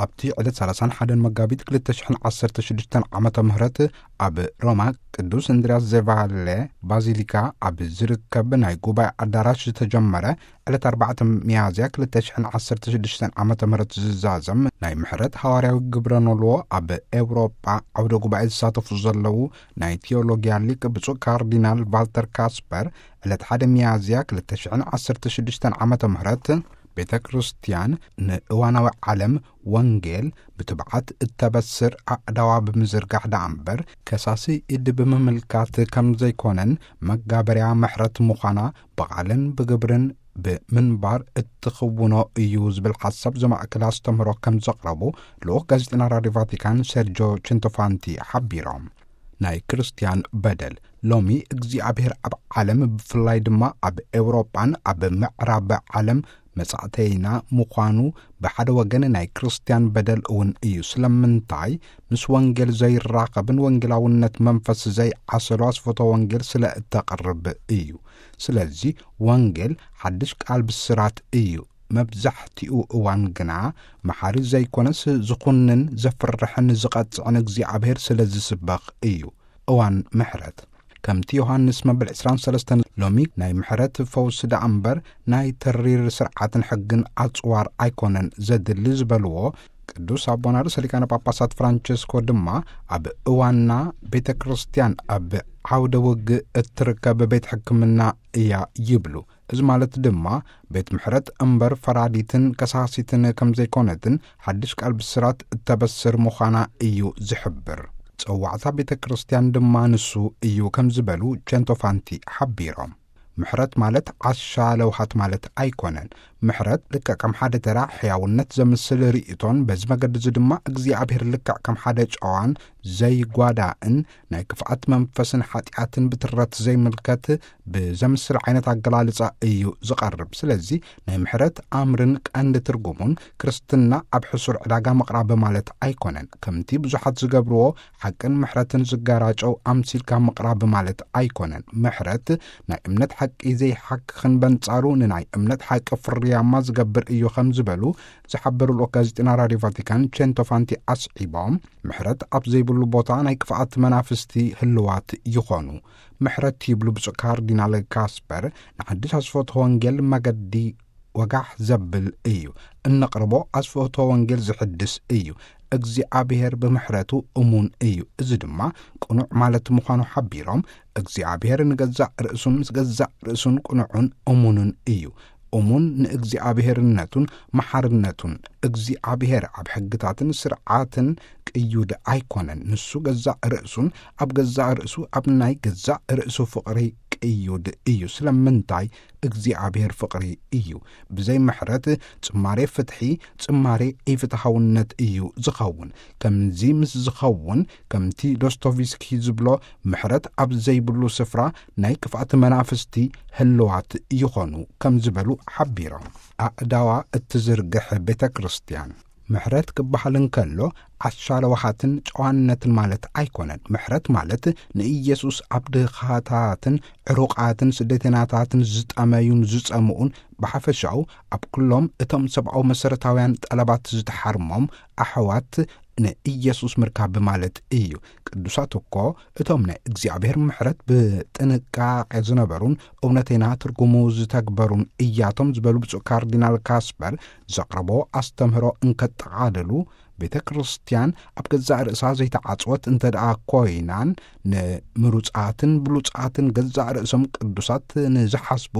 ኣብቲ ዕለት ሰላሳን ሓደን መጋቢት ክልተ ሽሕን ዓሰርተ ሽዱሽተን ዓመተ ምህረት ኣብ ሮማ ቅዱስ እንድርያስ ዘቫለ ባዚሊካ ኣብ ዝርከብ ናይ ጉባኤ ኣዳራሽ ዝተጀመረ ዕለት ኣርባዕተ ሚያዝያ ክልተ ሽሕን ዓሰርተ ሽዱሽተን ዓመተ ምህረት ዝዛዘም ናይ ምሕረት ሃዋርያዊ ግብረ ኖልዎ ኣብ ኤውሮጳ ዓውደ ጉባኤ ዝሳተፉ ዘለዉ ናይ ቴዎሎጊያ ሊቅ ብፁዕ ካርዲናል ቫልተር ካስፐር ዕለት ሓደ ሚያዝያ ክልተ ሽሕን ዓሰርተ ሽዱሽተን ዓመተ ምህረት ቤተ ክርስቲያን ንእዋናዊ ዓለም ወንጌል ብትብዓት እተበስር ኣእዳዋ ብምዝርጋሕ ደኣ እምበር ከሳሲ ኢድ ብምምልካት ከም ዘይኮነን መጋበርያ ምሕረት ምዃና ብቓልን ብግብርን ብምንባር እትኽውኖ እዩ ዝብል ሓሳብ ዘማእከለ ኣስተምህሮ ከም ዘቕረቡ ልኡኽ ጋዜጠና ራድዮ ቫቲካን ሴርጆ ችንቶፋንቲ ሓቢሮም። ናይ ክርስቲያን በደል ሎሚ እግዚኣብሔር ኣብ ዓለም ብፍላይ ድማ ኣብ ኤውሮጳን ኣብ ምዕራብ ዓለም መጻእተይና ምዃኑ ብሓደ ወገን ናይ ክርስቲያን በደል እውን እዩ። ስለምንታይ? ምስ ወንጌል ዘይራኸብን ወንጌላውነት መንፈስ ዘይዓሰሎ ኣስፈቶ ወንጌል ስለ እተቕርብ እዩ። ስለዚ ወንጌል ሓድሽ ቃል ብስራት እዩ። መብዛሕትኡ እዋን ግና መሓሪ ዘይኮነስ ዝኹንን ዘፍርሕን ዝቐጽዕን እግዚኣብሔር ስለ ዝስበኽ እዩ። እዋን ምሕረት ከምቲ ዮሃንስ መበል ዕስራን ሰለስተን ሎሚ ናይ ምሕረት ፈውሲ ደኣ እምበር ናይ ተሪር ስርዓትን ሕግን ኣጽዋር ኣይኮነን ዘድሊ ዝበልዎ ቅዱስ ኣቦና ርእሰ ሊቃነ ጳጳሳት ፍራንቸስኮ ድማ ኣብ እዋንና ቤተ ክርስቲያን ኣብ ዓውደ ውግእ እትርከብ ቤት ሕክምና እያ ይብሉ። እዚ ማለት ድማ ቤት ምሕረት እምበር ፈራዲትን ከሳሲትን ከም ዘይኮነትን ሓድሽ ቃል ብስራት እተበስር ምዃና እዩ ዝሕብር። ጸዋዕታ ቤተ ክርስቲያን ድማ ንሱ እዩ ከም ዝበሉ ቸንቶፋንቲ ሓቢሮም። ምሕረት ማለት ዓሻ ለውሃት ማለት ኣይኮነን። ምሕረት ልክዕ ከም ሓደ ተራ ሕያውነት ዘምስል ርእይቶን በዚ መገዲ እዚ ድማ እግዚኣብሔር ልክዕ ከም ሓደ ጨዋን ዘይጓዳእን ናይ ክፍኣት መንፈስን ሓጢኣትን ብትረት ዘይምልከት ብዘምስል ዓይነት ኣገላልጻ እዩ ዝቐርብ። ስለዚ ናይ ምሕረት ኣምርን ቀንዲ ትርጉሙን ክርስትና ኣብ ሕሱር ዕዳጋ ምቕራብ ማለት ኣይኮነን። ከምቲ ብዙሓት ዝገብርዎ ሓቅን ምሕረትን ዝጋራጨው ኣምሲልካ ምቕራብ ማለት ኣይኮነን። ምሕረት ናይ እምነት ሓቂ ዘይሓክኽን በንጻሩ ንናይ እምነት ሓቂ ፍርያማ ዝገብር እዩ ከም ዝበሉ ዝሓበሩ ልኡኽ ጋዜጠና ራድዮ ቫቲካን ቼንቶፋንቲ ኣስዒቦም፣ ምሕረት ኣብ ዘይብሉ ቦታ ናይ ክፍኣት መናፍስቲ ህልዋት ይኾኑ። ምሕረት ይብሉ ብፁዕ ካርዲናል ካስፐር ንሓድሽ ኣስፈቶ ወንጌል መገዲ ወጋሕ ዘብል እዩ። እነቕርቦ ኣስፈቶ ወንጌል ዝሕድስ እዩ። እግዚኣብሔር ብምሕረቱ እሙን እዩ። እዚ ድማ ቅኑዕ ማለት ምዃኑ ሓቢሮም፣ እግዚኣብሔር ንገዛእ ርእሱን ምስ ገዛእ ርእሱን ቅኑዑን እሙንን እዩ። እሙን ንእግዚኣብሔርነቱን መሓርነቱን። እግዚኣብሔር ኣብ ሕግታትን ስርዓትን ቅዩድ ኣይኮነን። ንሱ ገዛእ ርእሱን ኣብ ገዛእ ርእሱ ኣብ ናይ ገዛእ ርእሱ ፍቕሪ ቅዩድ እዩ። ስለምንታይ? እግዚኣብሔር ፍቕሪ እዩ። ብዘይ ምሕረት ጽማሬ ፍትሒ፣ ጽማሬ ኢፍትሃውነት እዩ ዝኸውን። ከምዚ ምስ ዝኸውን፣ ከምቲ ዶስቶቭስኪ ዝብሎ፣ ምሕረት ኣብ ዘይብሉ ስፍራ ናይ ክፍኣት መናፍስቲ ህልዋት ይኾኑ ከም ዝበሉ ሓቢሮም። ኣእዳዋ እትዝርግሕ ቤተ ክርስቲያን ምሕረት ክበሃል እንከሎ ዓሻ ለዋሃትን ጨዋነትን ማለት ኣይኮነን። ምሕረት ማለት ንኢየሱስ ኣብ ድኻታትን ዕሩቓትን ስደተናታትን ዝጠመዩን ዝጸምኡን ብሓፈሻኡ ኣብ ኩሎም እቶም ሰብኣዊ መሰረታውያን ጠለባት ዝተሓርሞም ኣሕዋት ንኢየሱስ ምርካብ ማለት እዩ። ቅዱሳት እኮ እቶም ናይ እግዚኣብሔር ምሕረት ብጥንቃቄ ዝነበሩን እውነተይና ትርጉሙ ዝተግበሩን እያቶም ዝበሉ ብፁዕ ካርዲናል ካስፐር ዘቕረቦ ኣስተምህሮ እንከጠቓልሉ ቤተ ክርስቲያን ኣብ ገዛእ ርእሳ ዘይተዓጽወት እንተ ደኣ ኮይናን ንምሩጻትን ብሉጻትን ገዛእ ርእሶም ቅዱሳት ንዝሓስቡ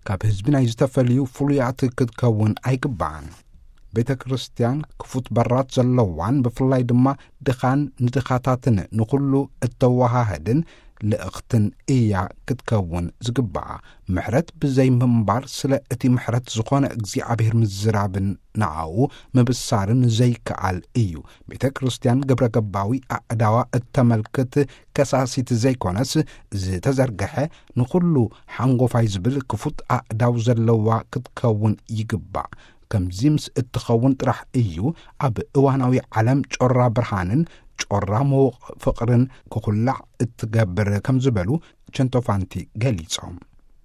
ካብ ህዝቢ ናይ ዝተፈልዩ ፍሉያት ክትከውን ኣይግባኣን። ቤተ ክርስቲያን ክፉት በራት ዘለዋን ብፍላይ ድማ ድኻን ንድኻታትን ንኹሉ እተወሃህድን ልእኽትን እያ ክትከውን ዝግባኣ። ምሕረት ብዘይ ምንባር ስለ እቲ ምሕረት ዝኾነ እግዚኣብሔር ምዝራብን ንኣኡ ምብሳርን ዘይከኣል እዩ። ቤተ ክርስቲያን ግብረ ገባዊ ኣእዳዋ እተመልክት ከሳሲት ዘይኮነስ ዝተዘርግሐ ንኹሉ ሓንጎፋይ ዝብል ክፉት ኣእዳው ዘለዋ ክትከውን ይግባእ። ከምዚ ምስ እትኸውን ጥራሕ እዩ ኣብ እዋናዊ ዓለም ጮራ ብርሃንን ጮራ ምዉቕ ፍቕርን ክኹላዕ እትገብር ከም ዝበሉ ቸንቶፋንቲ ገሊጾም።